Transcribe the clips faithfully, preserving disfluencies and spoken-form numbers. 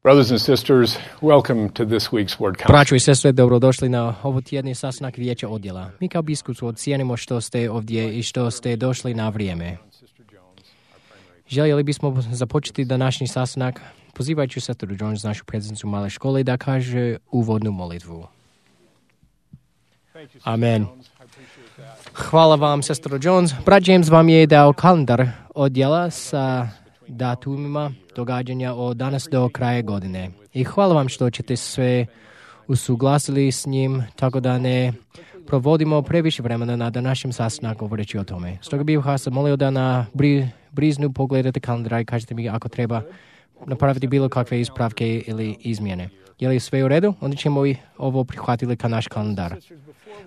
Brothers and sisters, welcome to this week's Word Council. Braćo i sestre, dobrodošli na ovotjedni sastanak Vijeća odjela. Mi kao biskup ocijenimo što ste ovdje i što ste došli na vrijeme. Željeli bismo započeti današnji sastanak pozivajući sestru Jones, našu predsjednicu male škole, da kaže uvodnu molitvu. Amen. Hvala vam, sestro Jones. Brat James vam je dao kalendar odjela sa datumima događanja od danas do kraja godine. I hvala vam što ćete sve usuglasili s njim, tako da ne provodimo previše vremena na današnjem sastanku govoreći o tome. Stoga bih vas molio da na bri, briznu pogledate kalendar i kažete mi ako treba napraviti bilo kakve ispravke ili izmjene. Je li sve u redu? Onda ćemo i ovo prihvatiti kao naš kalendar.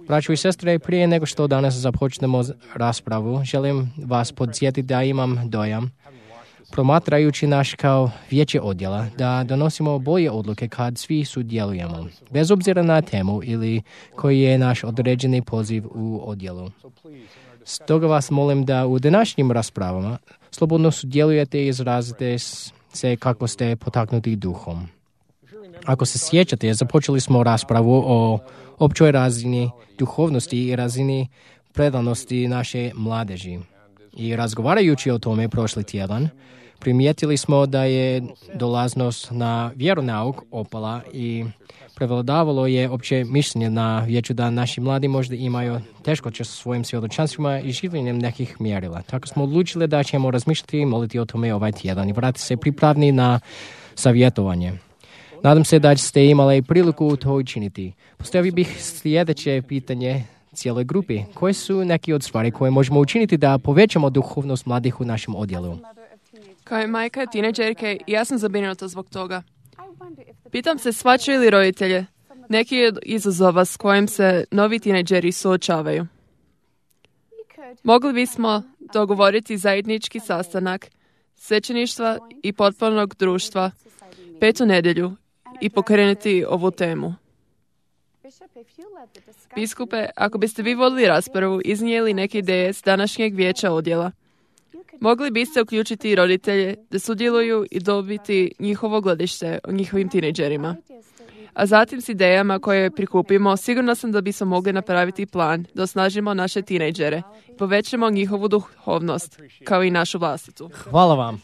Braćo i sestre, prije nego što danas započnemo raspravu, želim vas podsjetiti da imam dojam, promatrajući naš kao vijeće odjela, da donosimo bolje odluke kad svi sudjelujemo, bez obzira na temu ili koji je naš određeni poziv u odjelu. Stoga vas molim da u današnjim raspravama slobodno sudjelujete i izrazite se kako ste potaknuti duhom. Ako se sjećate, započeli smo raspravu o općoj razini duhovnosti i razini predanosti naše mladeži. I razgovarajući o tome prošli tjedan, primijetili smo da je dolaznost na vjeronauk opala i prevladavalo je opće mišljenje na vijeću da naši mladi možda imaju teškoće sa svojim svjedočanstvima i življenjem nekih mjerila. Tako smo odlučili da ćemo razmišljati i moliti o tome ovaj tjedan i vratiti se pripravni na savjetovanje. Nadam se da ste imali priliku to učiniti. Postavio bih sljedeće pitanje cijeloj grupi. Koje su neke od stvari koje možemo učiniti da povećamo duhovnost mladih u našem odjelu? Kao je majka tineđerke, ja sam zabrinuta zbog toga. Pitam se shvaćaju li roditelje neki od izazova s kojim se novi tineđeri suočavaju. Mogli bismo dogovoriti zajednički sastanak svećeništva i potpornog društva petu nedjelju i pokrenuti ovu temu. Biskupe, ako biste vi vodili raspravu, iznijeli neke ideje s današnjeg vijeća odjela, mogli biste uključiti i roditelje da sudjeluju i dobiti njihovo gledište o njihovim tineđerima. A zatim s idejama koje prikupimo, sigurno sam da bismo mogli napraviti plan da osnažimo naše tineđere i povećamo njihovu duhovnost, kao i našu vlastitu. Hvala vam.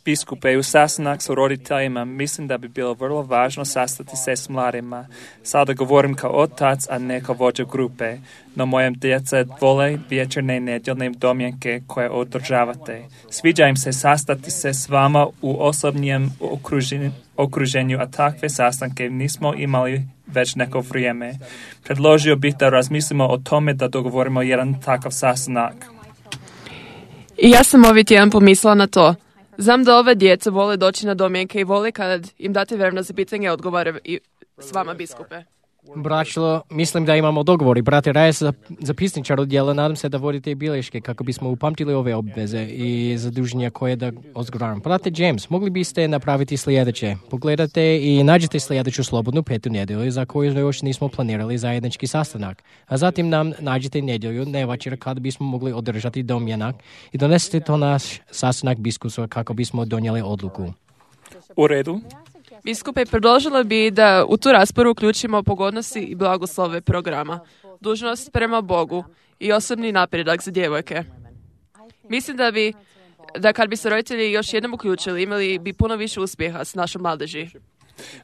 Biskupe, u sastanak s roditeljima mislim da bi bilo vrlo važno sastati se s mladima. Sada govorim kao otac, a ne kao vođa grupe, no mojem djeca vole večernje nedjeljne domjenke koje održavate. Sviđa im se sastati se s vama u osobnijem okruženju, okruženju, a takve sastanke nismo imali već neko vrijeme. Predložio bih da razmislimo o tome da dogovorimo jedan takav sastanak. I ja sam ovaj tjedan pomislila na to. Znam da ove djece vole doći na domjenke i vole kad im date vremena za pitanje odgovore i s vama, biskupe. Braćo, mislim da imamo dogovor i brate Rajes, zapisničar odjela, nadam se da vodite i bilješke kako bismo upamtili ove obveze i zaduženja koje da odgovaram. Brate James, mogli biste napraviti sljedeće. Pogledate i nađite sljedeću slobodnu petu nedjelju za koju još nismo planirali zajednički sastanak. A zatim nam nađite nedjelju, ne večer, kada bismo mogli održati domjenak i donesete to naš sastanak biskupstva kako bismo donijeli odluku. U redu. Biskupe, predložila bi da u tu raspravu uključimo pogodnosti i blagoslove programa, dužnost prema Bogu i osobni napredak za djevojke. Mislim da bi, da kad bi se roditelji još jednom uključili, imali bi puno više uspjeha s našom mladeži.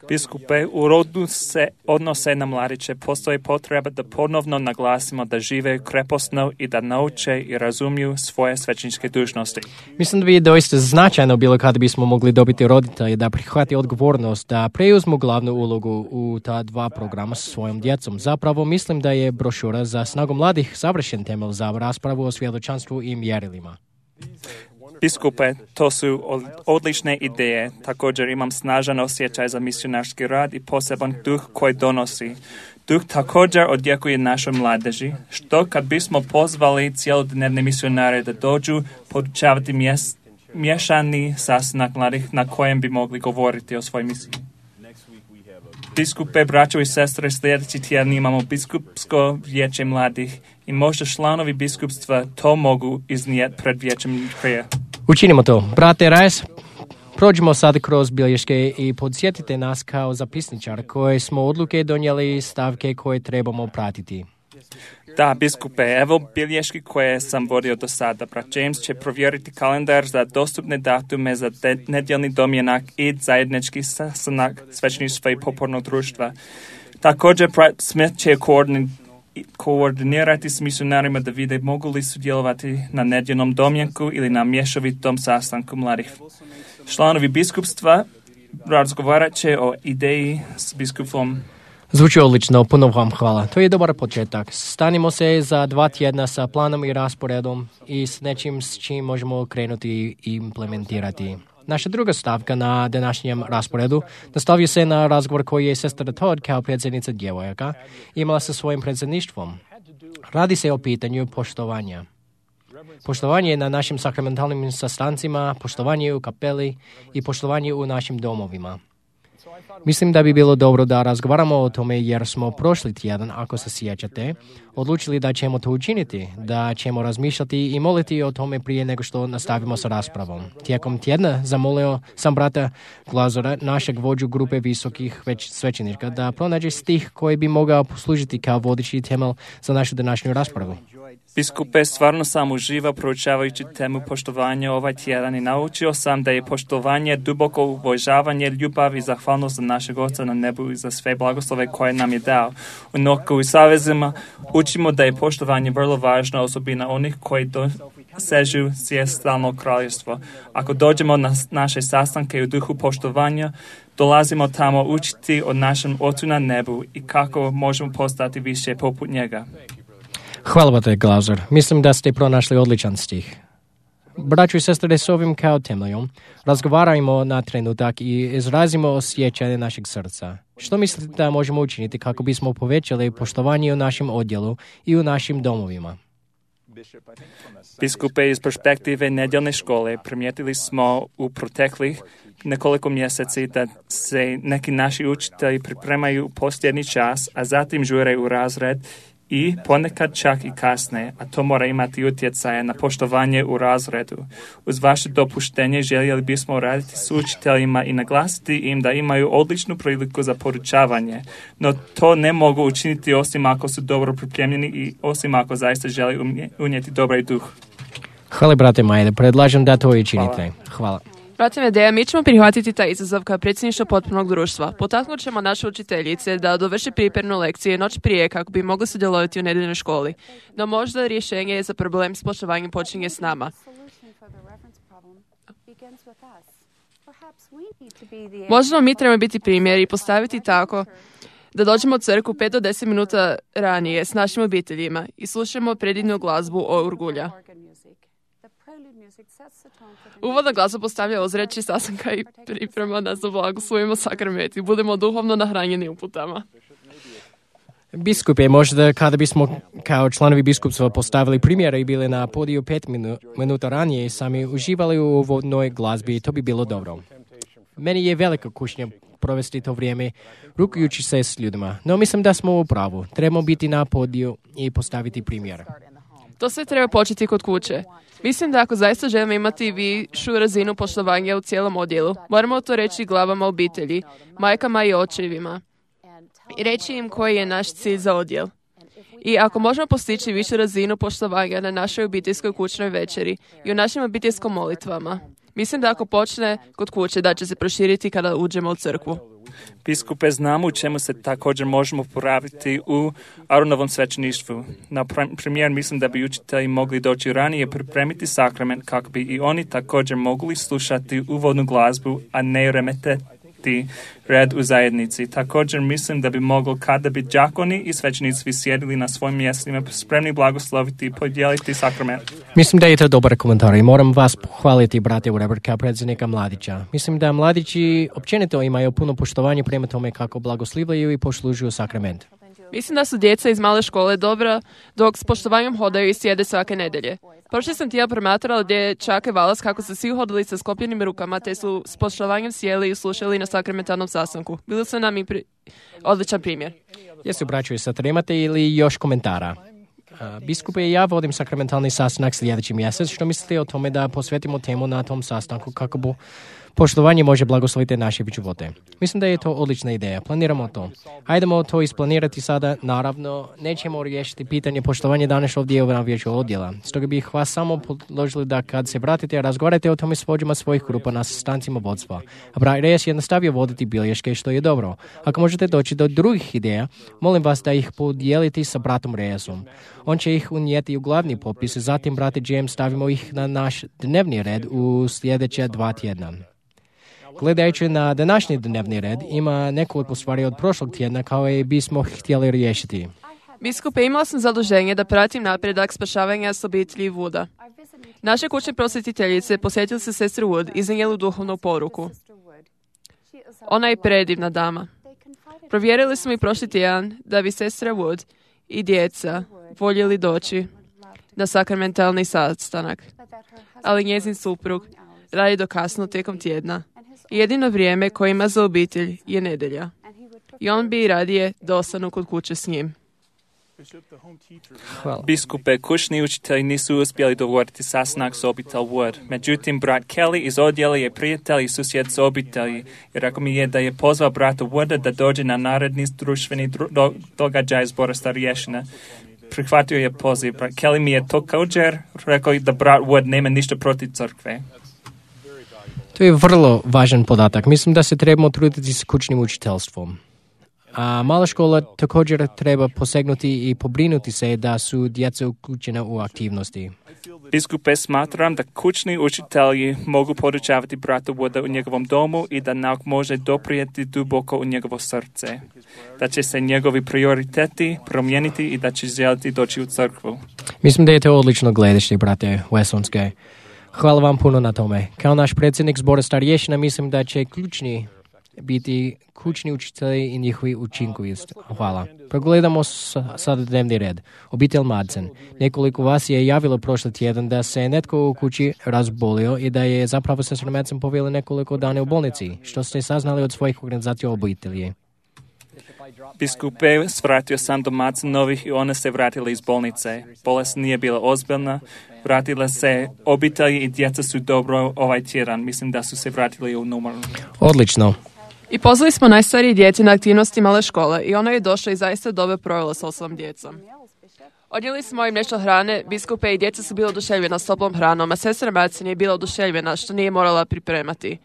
Biskupe, u rodu se odnose na mladiće postoji potreba da ponovno naglasimo da žive krepostno i da nauče i razumiju svoje svećeničke dužnosti. Mislim da bi doista značajno bilo kada bismo mogli dobiti roditelje da prihvati odgovornost, da preuzmu glavnu ulogu u ta dva programa sa svojom djecom. Zapravo mislim da je brošura za snagu mladih savršen temelj za raspravu o svjedočanstvu i mjerilima. Biskupe, to su odlične ideje. Također imam snažan osjećaj za misionarski rad i poseban duh koji donosi. Duh također odjekuje našoj mladeži, što kad bismo pozvali cijelodnevne misionare da dođu podučavati mjes, mješani sastanak mladih na kojem bi mogli govoriti o svojoj misiji. Biskupe, braćo i sestre, sljedeći tjedan imamo biskupsko vijeće mladih i možda članovi biskupstva to mogu iznijeti pred vijećem prije. Učinimo to. Brate Rajes, Prođimo sad kroz bilješke i podsjetite nas kao zapisničar koje smo odluke donijeli stavke koje trebamo pratiti. Da, biskupe, evo bilješki koje sam vodio do sada. Brat James će provjeriti kalendar za dostupne datume za de- nedjeljni domjenak i zajednički sastanak svećeništva i popornog društva. Također, brat Smith će koordin- koordinirati s misionarima da vide mogu li sudjelovati na nedjeljnom domjenku ili na mješovitom sastanku mladih. Članovi biskupstva razgovarat će o ideji s biskupom. Zvuči odlično, puno vam hvala. To je dobar početak. Stanimo se za dva tjedna sa planom i rasporedom i s nečim s čim možemo krenuti i implementirati. Naša druga stavka na današnjem rasporedu nastavio se na razgovor koji je sestra Todd kao predsjednica djevojaka imala sa svojim predsjedništvom. Radi se o pitanju poštovanja. Poštovanje na našim sakramentalnim sastancima, poštovanje u kapeli i poštovanje u našim domovima. Mislim da bi bilo dobro da razgovaramo o tome jer smo prošli tjedan, ako se sjećate, odlučili da ćemo to učiniti, da ćemo razmišljati i moliti o tome prije nego što nastavimo sa raspravom. Tijekom tjedna zamolio sam brata Glazora, našeg vođu grupe visokih već svećenika, da pronađe stih koji bi mogao poslužiti kao vodeći temelj za našu današnju raspravu. Biskupe, stvarno sam uživao proučavajući temu poštovanja ovaj tjedan i naučio sam da je poštovanje duboko uvažavanje, ljubav i zahvalnost za našeg Oca na nebu i za sve blagoslove koje nam je dao. U Noku i savezima učimo da je poštovanje vrlo važna osobina onih koji dosežu stalno kraljevstvo. Ako dođemo na naše sastanke u duhu poštovanja, dolazimo tamo učiti o našem Ocu na nebu i kako možemo postati više poput njega. Hvala te, Glazer. Mislim da ste pronašli odličan stih. Braćo i sestre, s ovim kao temeljom razgovarajmo na trenutak i izrazimo osjećanje našeg srca. Što mislite da možemo učiniti kako bismo povećali poštovanje u našem odjelu i u našim domovima? Biskupe, iz perspektive nedjeljne škole primijetili smo u proteklih nekoliko mjeseci da se neki naši učitelji pripremaju posljednji čas, a zatim žure u razred i ponekad čak i kasne, a to mora imati utjecaje na poštovanje u razredu. Uz vaše dopuštenje željeli bismo raditi s učiteljima i naglasiti im da imaju odličnu priliku za podučavanje, no to ne mogu učiniti osim ako su dobro pripremljeni i osim ako zaista želi unijeti dobar duh. Hvala, brate Majde, predlažem da to i činite. Hvala. Brate Medeja, mi ćemo prihvatiti taj izazov kao predsjedništvo potpunog društva. Potaknut ćemo naše učiteljice da dovrši pripremnu lekciju noć prije kako bi mogli sudjelovati u nedeljnoj školi. No možda rješenje za problem s poštovanjem počinje s nama. Možda mi trebamo biti primjer i postaviti tako da dođemo u crkvu pet do deset minuta ranije s našim obiteljima i slušamo predivnu glazbu o Urgulja. Uvodna glazba postavlja ozračje sastanka i priprema nas da blagoslovimo sakrament i budemo duhovno nahranjeni uputama. Biskupe, možda kada bismo kao članovi biskupstva postavili primjere i bili na podiju pet minu, minuta ranije i sami uživali u uvodnoj glazbi, to bi bilo dobro. Meni je velika kušnja provesti to vrijeme rukujući se s ljudima, no mislim da smo u pravu. Trebamo biti na podiju i postaviti primjer. To sve treba početi kod kuće. Mislim da ako zaista želimo imati višu razinu poštovanja u cijelom odjelu, moramo to reći glavama obitelji, majkama i očevima i reći im koji je naš cilj za odjel. I ako možemo postići višu razinu poštovanja na našoj obiteljskoj kućnoj večeri i u našim obiteljskim molitvama, mislim da ako počne kod kuće da će se proširiti kada uđemo u crkvu. Biskupe, znamo u čemu se također možemo poraviti u Aronovom svećeništvu. Na primjer, mislim da bi učitelji mogli doći ranije pripremiti sakrament kako bi i oni također mogli slušati uvodnu glazbu, a ne remeteti red u zajednici. Također mislim da bi moglo kada bi đakoni i svećenici sjedili na svojim mjestima spremni blagosloviti i podijeliti sakrament. Mislim da je to dobar komentar i moram vas pohvaliti, brate Ureber, kao predsjednika mladića. Mislim da mladići općenito imaju puno poštovanje prema tome kako blagoslivljaju i poslužuju sakrament. Mislim da su djeca iz male škole dobra dok s poštovanjem hodaju i sjede svake nedjelje. Prošli sam tijel promatrala dječake Valas kako su svi hodili sa sklopljenim rukama te su s poštovanjem sjeli i slušali na sakramentalnom sastanku. Bili su nam i pri... odličan primjer. Jesu, braćo i sestre, imate ili još komentara? Biskupe, ja vodim sakramentalni sastanak sljedeći mjesec. Što mislite o tome da posvetimo temu na tom sastanku kako bu Poštovanje može blagosloviti naše živote. Mislim da je to odlična ideja. Planiramo to. Hajdemo to isplanirati sada. Naravno, nećemo riješiti pitanje poštovanja danas ovdje na vijeću odjela. Stoga bih vas samo podložili da kad se vratite, razgovarajte o tome s vođama svojih grupa na sastancima vodstva. A brat Reyes je nastavio voditi bilješke, što je dobro. Ako možete doći do drugih ideja, molim vas da ih podijelite sa bratom Reyesom. On će ih unijeti u glavni popis, zatim, brate James, stavimo ih na naš dnevni red u sljedeće dva tjedna. Gledajući na današnji dnevni red, ima nekoliko stvari od prošlog tjedna kao i bismo htjeli riješiti. Biskupe, imala sam zaduženje da pratim napredak spašavanja s obitelji Wooda. Naše kućne prosvjetiteljice posjetili se sestru Wood i iznijeli duhovnu poruku. Ona je predivna dama. Provjerili smo i prošli tjedan da bi sestra Wood i djeca voljeli doći na sakramentalni sastanak, ali njezin suprug radi do kasno tijekom tjedna i jedino vrijeme koje ima za obitelj je nedjelja. I on bi radije da ostanu kod kuće s njim. Hvala. Biskupe, kućni učitelji nisu uspjeli dogovoriti sastanak s obitelj Wood. Međutim, brat Kelly iz odjela je prijatelj i susjed s obitelji i rekao mi je da je pozvao brata Wooda da dođe na naredni društveni dru- do- događaj zbora starješina. Prihvatio je poziv. Brat Kelly mi je također rekao da brat Wood nema ništa protiv crkve. To je vrlo važan podatak. Mislim da se trebamo truditi s kućnim učiteljstvom. A mala škola također treba posegnuti i pobrinuti se da su djeca uključena u aktivnosti. Biskupe, smatram da kućni učitelji mogu podučavati brata Wooda u njegovom domu i da nauk može doprijeti duboko u njegovo srce. Da će se njegovi prioriteti promijeniti i da će želiti doći u crkvu. Mislim da je to odlično gledište, brate Wessonske. Hvala vam puno na tome. Kao naš predsjednik zbora starješina mislim da će ključni biti kućni učitelji i njihovi učinkovitost. Hvala. Pogledamo sada dnevni red. Obitelj Madsen. Nekoliko vas je javilo prošli tjedan da se netko u kući razbolio i da je zapravo sestra Madsen povela nekoliko dana u bolnici. Što ste saznali od svojih organizacija obitelji? Biskupe, svratio sam do Madsenovih i one se vratile iz bolnice. Bolest nije bila ozbiljna. Vratile se obitelji i djeca su dobro ovaj tjedan. Mislim da su se vratili u normalno. Odlično. I pozvali smo najstarije djece na aktivnosti male škole i ona je došla i zaista dobro provela s osobom djecom. Odnijeli smo im nešto hrane, biskupe i djeca su bila oduševljena s toplom hranom, a sestra Madsen je bila oduševljena što nije morala pripremati.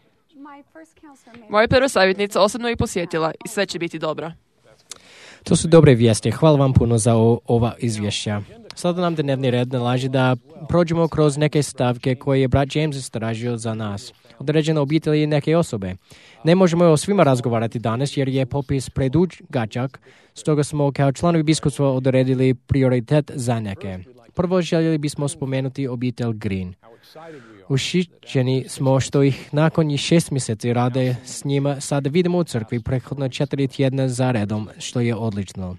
Moja prva savjetnica osobno ih posjetila i sve će biti dobro. To su dobre vijesti. Hvala vam puno za o, ova izvješća. Sada nam dnevni red nalaže da prođemo kroz neke stavke koje je brat James istražio za nas. Određene obitelji i neke osobe. Ne možemo o svima razgovarati danas jer je popis predugačak, stoga smo kao članovi biskupstva odredili prioritet za neke. Prvo željeli bismo spomenuti obitelj Green. Ušićeni smo što ih nakon šest mjeseci rade s njima sada vidimo u crkvi prethodno četiri tjedna za redom, što je odlično.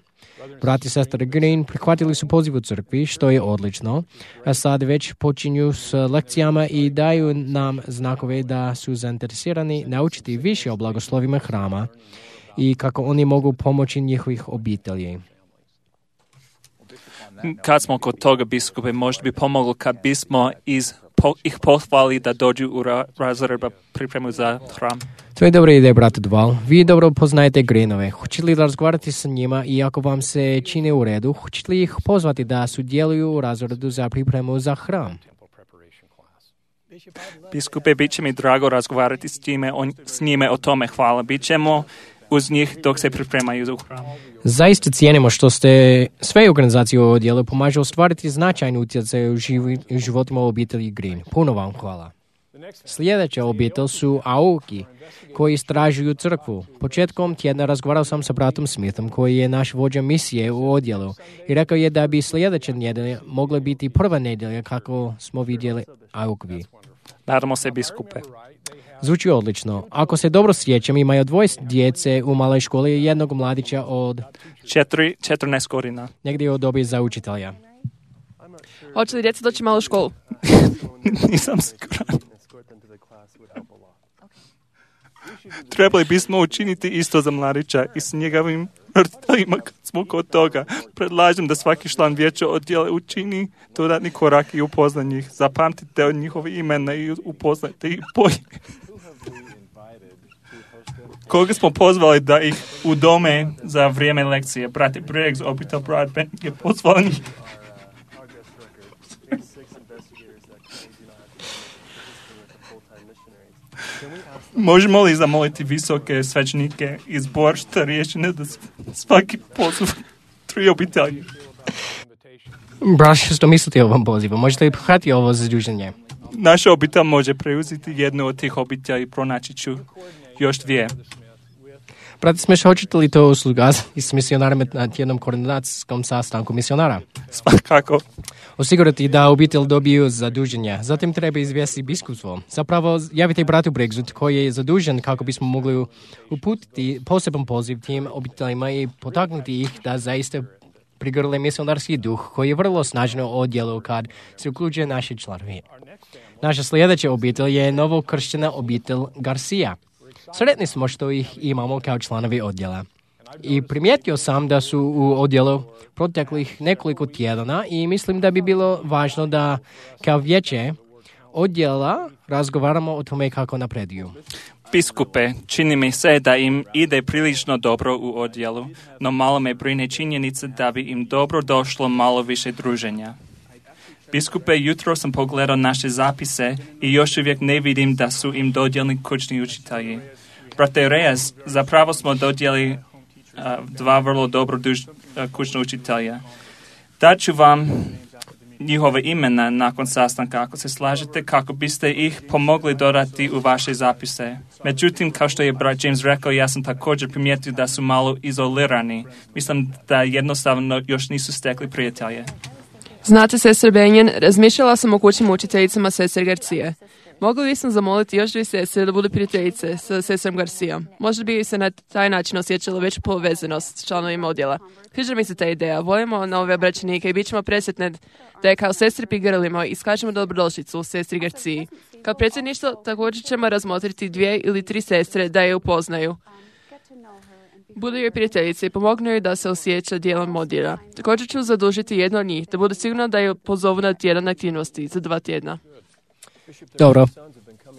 Brat i sestra Green prihvatili su poziv u crkvi, što je odlično, a sad već počinju s lekcijama i daju nam znakove da su zainteresirani naučiti više o blagoslovima hrama i kako oni mogu pomoći njihovih obitelji. Kad smo kod toga, biskupe, možda bi pomoglo kad bismo iz, po, ih pohvali da dođu u ra, razred pripremu za hram. To je dobra ideja, brate Duval. Vi dobro poznajete Greenove. Hoćete li razgovarati sa njima i ako vam se čini u redu, hoćete li ih pozvati da sudjeluju u razredu za pripremu za hram? Biskupe, bit će mi drago razgovarati s, time, on, s njime o tome. Hvala. Bićemo uz njih dok se pripremaju za hram. Zaista cijenimo što ste sve organizacije u odjelu pomažu ostvariti značajnu utjecaj u životima obitelji Green. Puno vam hvala. Sljedeća obitelj su Aoki, koji istražuju crkvu. Početkom tjedna razgovarao sam sa bratom Smithom, koji je naš vođa misije u odjelu, i rekao je da bi sljedeća nedjelja mogla biti prva nedjelja kako smo vidjeli Aoki. Nadamo se, biskupe. Zvuči odlično. Ako se dobro sjećam, imaju dvoje djece u maloj školi i jednog mladića od Četiri, četrnaest godina. Negdje od dobi za učitelja. Hoće li djeca doći malo u školu? Nisam siguran. Trebali bismo učiniti isto za mladića i s njegovim roditeljima kad smo kod toga. Predlažem da svaki član vijeća odjela učini dodatni korak i upozna njih. Zapamtite njihove imena i upoznajte ih bolje. Koga smo pozvali da ih udome za vrijeme lekcije? Brate Briggs, obitelj Broadbent je pozvao njih. Možemo li zamoliti visoke svećenike iz Boršta riješene da svaki poziv tri obitelji? Braš, što mislite o ovom pozivu? Možete li prihvatiti ovo zaduženje? Naša obitelj može preuzeti jednu od tih obitelji i pronaći ću još dvije. Brate Smeš, hoćete li to usluga i s misionarima na jednom koordinacijskom sastanku misionara? Svakako. Osigurati da obitelj dobiju zaduženje. Zatim treba izvijestiti biskupstvo. Zapravo, javite bratu Briggsu koji je zadužen kako bismo mogli uputiti poseban poziv tim obiteljima i potaknuti ih da zaista prigrle misionarski duh koji je vrlo snažno odjelu kad se uključuje naši članovi. Naša sljedeća obitelj je novokrštena obitelj Garcia. Sretni smo što ih imamo kao članovi odjela. I primijetio sam da su u odjelu proteklih nekoliko tjedana i mislim da bi bilo važno da kao vijeće odjela razgovaramo o tome kako napreduju. Biskupe, čini mi se da im ide prilično dobro u odjelu, no malo me brine činjenica da bi im dobro došlo malo više druženja. Biskupe, jutro sam pogledao naše zapise i još uvijek ne vidim da su im dodijelni kućni učitelji. Brate Reyes, zapravo smo dodijeli uh, dva vrlo dobro duž, uh, kućna učitelja. Daću vam njihove imena nakon sastanka, ako se slažete, kako biste ih pomogli dodati u vaše zapise. Međutim, kao što je brat James rekao, ja sam također primijetio da su malo izolirani. Mislim da jednostavno još nisu stekli prijatelje. Znate, sestre Benjen, razmišljala sam o kućnim učiteljicama sestre Garcije. Mogli bi sam zamoliti još dvije sestre da budu prijateljice sa sestrom Garcijom. Možda bi se na taj način osjećala veću povezanost s članovima odjela. Sviđa mi se ta ideja. Volimo nove obraćenike i bit ćemo presretne da je kao sestri prigrlimo i iskažemo dobrodošlicu sestri Garciji. Kao predsjedništvo također ćemo razmotriti dvije ili tri sestre da je upoznaju. Budu joj prijateljice i pomognu joj da se osjeća dijelom odjela. Također ću zadužiti jedno od njih da bude sigurno da je pozovu na tjedan aktivnosti za dva tjedna. Dobro.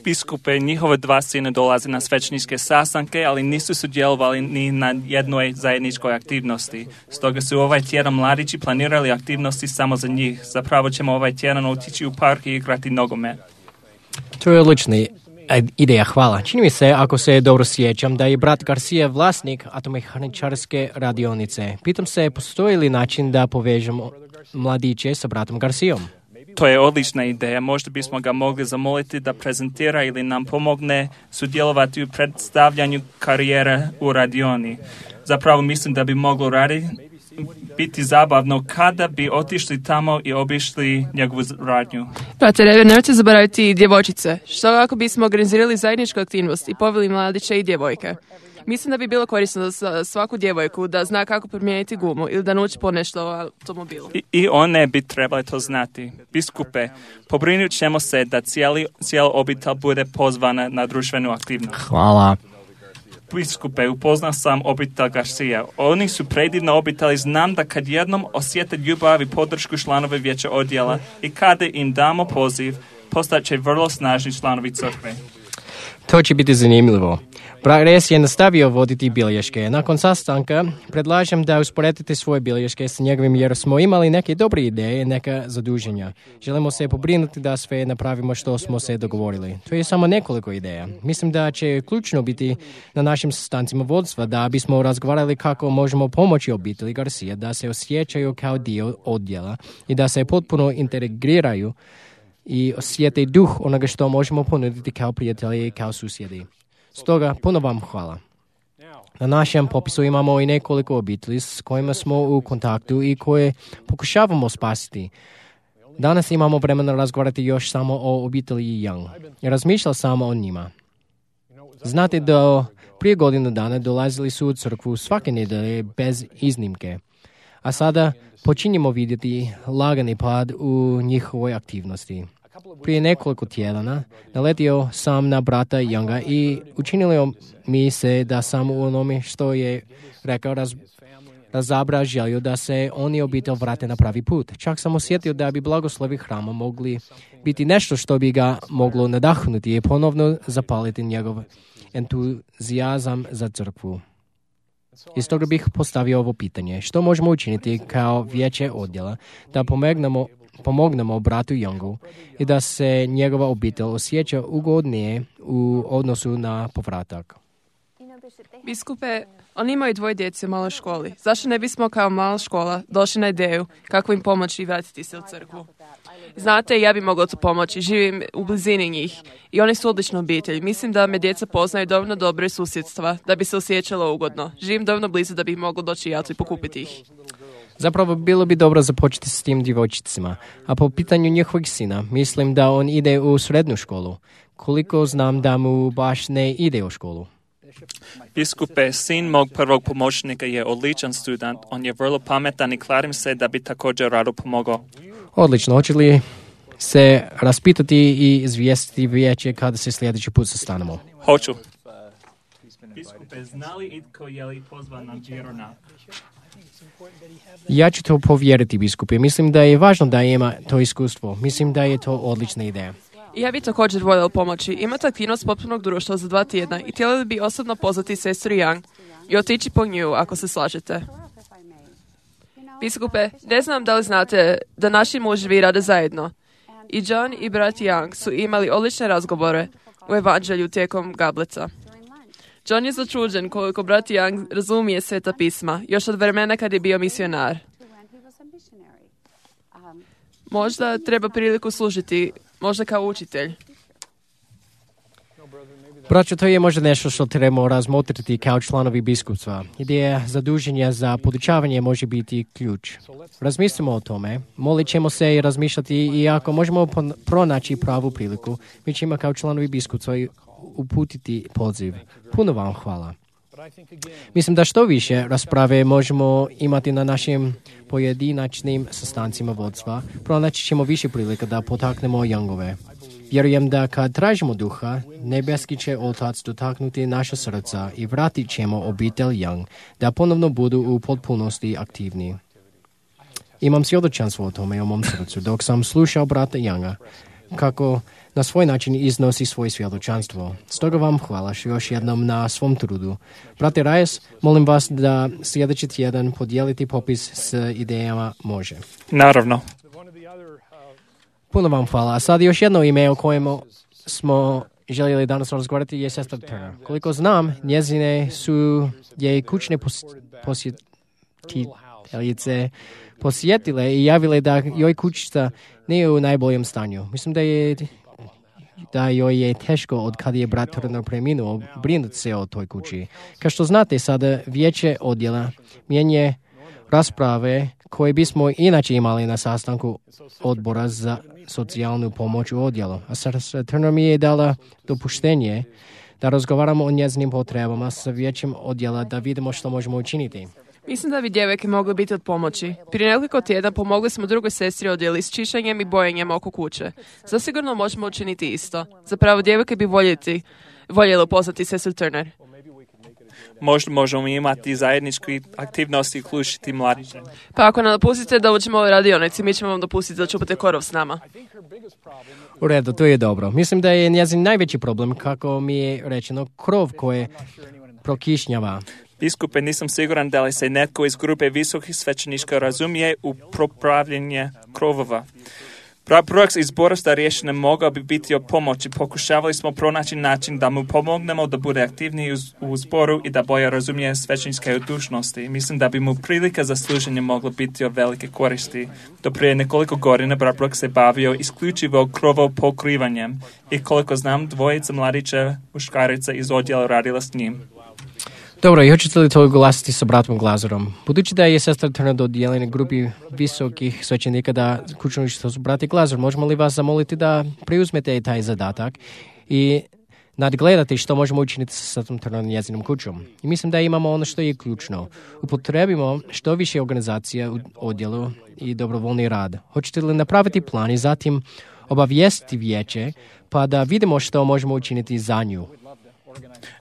Biskupe, njihove dva sine dolaze na svećeničke sastanke, ali nisu sudjelovali ni na jednoj zajedničkoj aktivnosti. Stoga su ovaj tjedan mladići planirali aktivnosti samo za njih. Zapravo ćemo ovaj tjedan otići u park i igrati nogomet. To je odlični ideja, hvala. Čini mi se, ako se dobro sjećam, da je brat Garcia vlasnik automehaničarske radionice. Pitam se, postoji li način da povežemo mladiće sa bratom Garcijom? To je odlična ideja. Možda bismo ga mogli zamoliti da prezentira ili nam pomogne sudjelovati u predstavljanju karijere u radioni. Zapravo mislim da bi moglo raditi biti zabavno kada bi otišli tamo i obišli njegovu radnju. Brate Rever, nemojte zaboraviti djevojčice. Što ako bismo organizirali zajedničku aktivnost i poveli mladiće i djevojke? Mislim da bi bilo korisno za svaku djevojku da zna kako promijeniti gumu ili da nauči ponešto o automobilu. I, I one bi trebali to znati. Biskupe, pobrinut ćemo se da cijeli, cijela obitelj bude pozvana na društvenu aktivnost. Hvala. Biskupe, upoznao sam obitelj Garcia. Oni su predivna obitelj. Znam da kad jednom osjete ljubav i podršku članove vijeća odjela i kada im damo poziv, postat će vrlo snažni članovi crkve. To će biti zanimljivo. Brat Reyes je nastavio voditi bilješke. Nakon sastanka predlažem da usporedite svoje bilješke s njegovim jer smo imali neke dobre ideje, neka zaduženja. Želimo se pobrinuti da sve napravimo što smo se dogovorili. To je samo nekoliko ideja. Mislim da će ključno biti na našim sastancima vodstva da bismo razgovarali kako možemo pomoći obitelji Garcia da se osjećaju kao dio odjela i da se potpuno integriraju i osjete duh onoga što možemo ponuditi kao prijatelji i kao susjedi. Stoga, puno vam hvala. Na našem popisu imamo i nekoliko obitelji s kojima smo u kontaktu i koje pokušavamo spasiti. Danas imamo vremena razgovarati još samo o obitelji Young. Razmišljao sam o njima. Znate da prije godinu dana dolazili su u crkvu svake nedelje bez iznimke. A sada počinjemo vidjeti lagani pad u njihovoj aktivnosti. Prije nekoliko tjedana naletio sam na brata Younga i učinilo mi se da sam u onome što je rekao raz, razabra želju da se oni obitelj vrate na pravi put. Čak sam osjetio da bi blagoslovi hrama mogli biti nešto što bi ga moglo nadahnuti i ponovno zapaliti njegov entuzijazam za crkvu. Iz toga bih postavio ovo pitanje. Što možemo učiniti kao vijeće odjela da pomognemo, pomognemo bratu Youngu i da se njegova obitelj osjeća ugodnije u odnosu na povratak? Biskupe, oni imaju dvoje djece u maloj školi. Zašto ne bismo kao mala škola došli na ideju kako im pomoći i vratiti se u crkvu? Znate, ja bi mogla tu pomoći. Živim u blizini njih i oni su odlična obitelj. Mislim da me djeca poznaju dovoljno dobro susjedstva da bi se osjećalo ugodno. Živim dovoljno blizu da bih mogla doći ja tu i pokupiti ih. Zapravo bilo bi dobro započeti s tim djevojčicima. A po pitanju njihovih sina, mislim da on ide u srednju školu. Koliko znam da mu baš ne ide u školu. Biskupe, sin mog prvog pomoćnika je odličan student. On je vrlo pametan i klarim se da bi također rado pomogao. Odlično. Hoće li se raspitati i izvijestiti vijeće kada se sljedeći put sastanemo? Hoću. Biskupe, zna li itko je li pozvan na vjeronak? Ja ću to povjeriti, biskupe. Mislim da je važno da ima to iskustvo. Mislim da je to odlična ideja. Ja bi također voljela pomoći. Imate aktivnost potpunog društva za dva tjedna i htjeli bi osobno pozvati sestru Young i otići po nju ako se slažete. Biskupe, ne znam da li znate da naši muževi rade zajedno. I John i brat Young su imali odlične razgovore u evanđelju tijekom gablica. John je začuđen koliko brat Young razumije sveta pisma, još od vremena kad je bio misionar. Možda treba priliku služiti, možda kao učitelj. Braćo, to je možda nešto što trebamo razmotriti kao članovi biskupstva. Ideja zaduženja za podučavanje može biti ključ. Razmislimo o tome, molit ćemo se i razmišljati i ako možemo pronaći pravu priliku, mi ćemo kao članovi biskupstva uputiti poziv. Puno vam hvala. Mislim da što više rasprave možemo imati na našim pojedinačnim sastancima vodstva, pronaći ćemo više prilika da potaknemo Youngove. Vjerujem da kad tražimo duha, nebeski će Otac dotaknuti naša srca i vratit ćemo obitelj Young da ponovno budu u potpunosti aktivni. Imam svjedočanstvo o tome u mom srcu dok sam slušao brata Younga kako na svoj način iznosi svoje svjedočanstvo. Stoga vam hvala još jednom na svom trudu. Brate Reyes, molim vas da sljedeći tjedan podijeliti popis s idejama može. Naravno. Puno vam hvala. A sad još jedno ime o kojemu smo željeli danas razgovarati je sestra Turner. Koliko znam, njezine su je kućne posjetiteljice posjetile i javile da joj kućica nije u najboljem stanju. Mislim da je da joj je teško od kada je brat Turner preminuo brinuti se o toj kući. Kao što znate, sada vijeće odjela mijenje rasprave koje bismo inače imali na sastanku odbora za socijalnu pomoć u odjelu. A sestra Turner mi je dala dopuštenje da razgovaramo o njezinim potrebama sa vijećem odjela da vidimo što možemo učiniti. Mislim da bi djevojke mogle biti od pomoći. Prije nekoliko tjedna pomogli smo drugoj sestri odjeli s čišćenjem i bojenjem oko kuće. Zasigurno možemo učiniti isto. Zapravo djevojke bi voljeti, voljelo poznati sestru Turner. Možda možemo imati zajedničke aktivnosti i uključiti mladiće. Pa ako nam dopustite da uđemo u radionici, mi ćemo vam dopustiti da čupate korov s nama. U redu, to je dobro. Mislim da je njezin najveći problem, kako mi je rečeno, krov koje prokišnjava. Biskupe, nisam siguran da li se netko iz grupe visokih svećenika razumije u popravljanje krovova. Projekt izbora starješine mogao bi biti od pomoći. Pokušavali smo pronaći način da mu pomognemo da bude aktivniji u zboru i da bolje razumije svećeničke dužnosti. Mislim da bi mu prilika za služenje mogla biti od velike koristi. Do prije nekoliko godina brat Brooks se bavio isključivo krovo pokrivanjem i koliko znam, dvojica mladića muškarica iz odjela radila s njim. Dobro, i hoćete li to glasiti sa bratom Glazerom? Budući da je sestra Turner dodijeljena grupi visokih svećenika da kućno što su brati Glazer, možemo li vas zamoliti da preuzmete taj zadatak i nadgledati što možemo učiniti sa sestrom Turner njezinom kućom? I mislim da imamo ono što je ključno. Upotrebimo što više organizacija u odjelu i dobrovoljni rad. Hoćete li napraviti plan i zatim obavijestiti vijeće pa da vidimo što možemo učiniti za nju?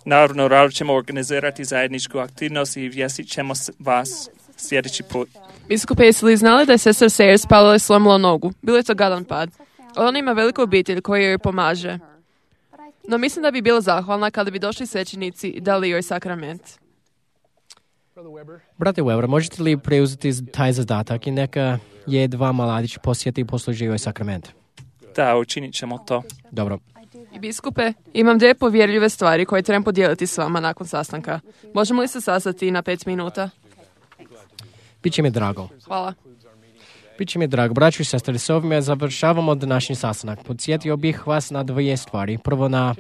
Naravno, rado ćemo organizirati zajedničku aktivnost i vjestit ćemo vas sljedeći put. Biskupe, jesi li znali da je sestra Sayers pala i slomila nogu? Bilo je to gadan pad. Ona ima veliku obitelj koja joj pomaže. No mislim da bi bila zahvalna kada bi došli svećenici i dali joj sakrament. Brate Weber, možete li preuzeti taj zadatak i neka je dva mladić posjeti i posluži joj sakrament? Da, učinit ćemo to. Dobro. I biskupe, imam dvije povjerljive stvari koje trebam podijeliti s vama nakon sastanka. Možemo li se sastati na pet minuta? Biće mi drago. Hvala. Biće mi drago. Braćo i sestre, s ovime završavamo današnji sastanak. Podsjetio bih vas na dvije stvari. Prvo na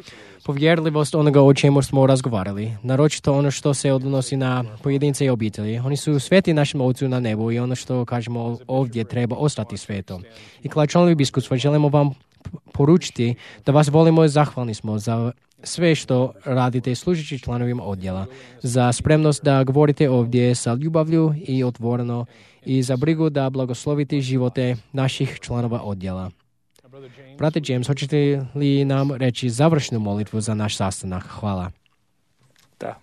povjerljivost onoga o čemu smo razgovarali. Naročito ono što se odnosi na pojedince i obitelji. Oni su sveti našem Ocu na nebu i ono što kažemo ovdje treba ostati sveto. I kao članovi biskupstva želimo vam poručiti da vas volimo i zahvalni smo za sve što radite služeći članovima odjela, za spremnost da govorite ovdje sa ljubavlju i otvoreno i za brigu da blagoslovite živote naših članova odjela. Brate James, hoćete li nam reći završnu molitvu za naš sastanak? Hvala. Da.